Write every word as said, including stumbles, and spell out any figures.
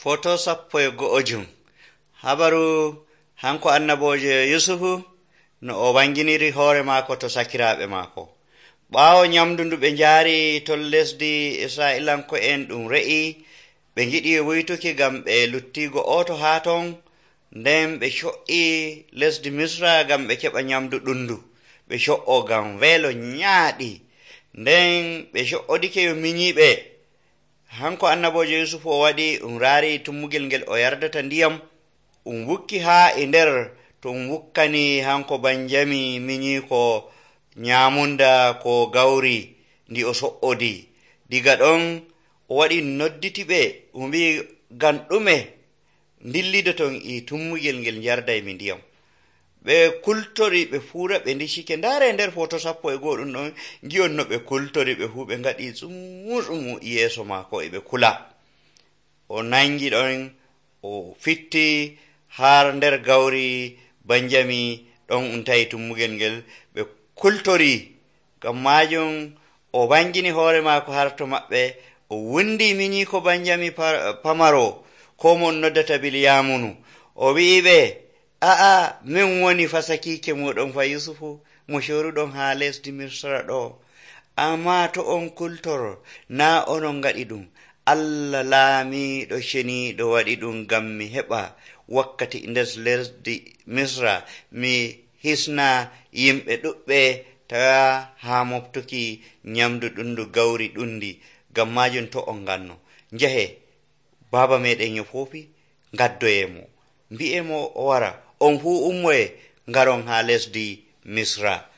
Foto sappo e go'ojum. Habaru hanko annaboje Yusufu no o wanginiri hoore maako to sakiraaɓe maako. Ɓaawo nyamdu ndu ɓe njaari to lesdi Isra'ilanko en ɗum re'i, ɓe ngiɗi wuytuki ngam ɓe luttigo oto haa ton, nden ɓe co'i lesdi Misra ngam ɓe keɓa nyamdu ɗundu. Ɓe co'o ngam weelo nyaaɗi, nden ɓe co'odike yo minyiɓe. Hanko annabojo Yusufu o waɗi um raari tummugel ngel o yardata ndiyam, um wukki haa e nder to um wukkani hanko Banjami minyi ko nyamunda ko gawri ndi o so'odi. Diga ɗon o waɗi nodditi ɓe um mbi ngam ɗume dillidoton e tummugel ngel jarday mi ndiyam. Ɓe kultori ɓe fuura ɓe ndicike. Ndaare nder foto sappo e go'o ɗum ɗon ngi'on no ɓe kultori ɓe fuu ɓe ngaɗi tsumu-tsumu yeeso maako e ɓe kula. O nangi ɗon o fitti har nder gawri Banjami ɗon um tawi tummugel ngel ɓe kultori. Ngam majum o wangini hoore maako har to maɓɓe, o wundi minyi ko Banjami pamaro ko mon noddata Bilyamunu. O wi'iɓe, a'a min woni fasakiike moɗon fa Yusufu mo coruɗon haa lesdi Misra ɗo. Amma to on kultor naa onon ngaɗi ɗum. Allah laamiiɗo ceniiɗo waɗi ɗum ngam mi heɓa wakkati nder lesdi Misra mi hisna yimɓe ɗuɓɓe tawa haa moftuki nyamdu ɗundu gawri ɗundi. Ngam majum to on nganno njahe baaba meɗen yo foofi ngaddoyemo, mbi'emo o wara, on fuu ummoye ngaron haa lesdi Misra.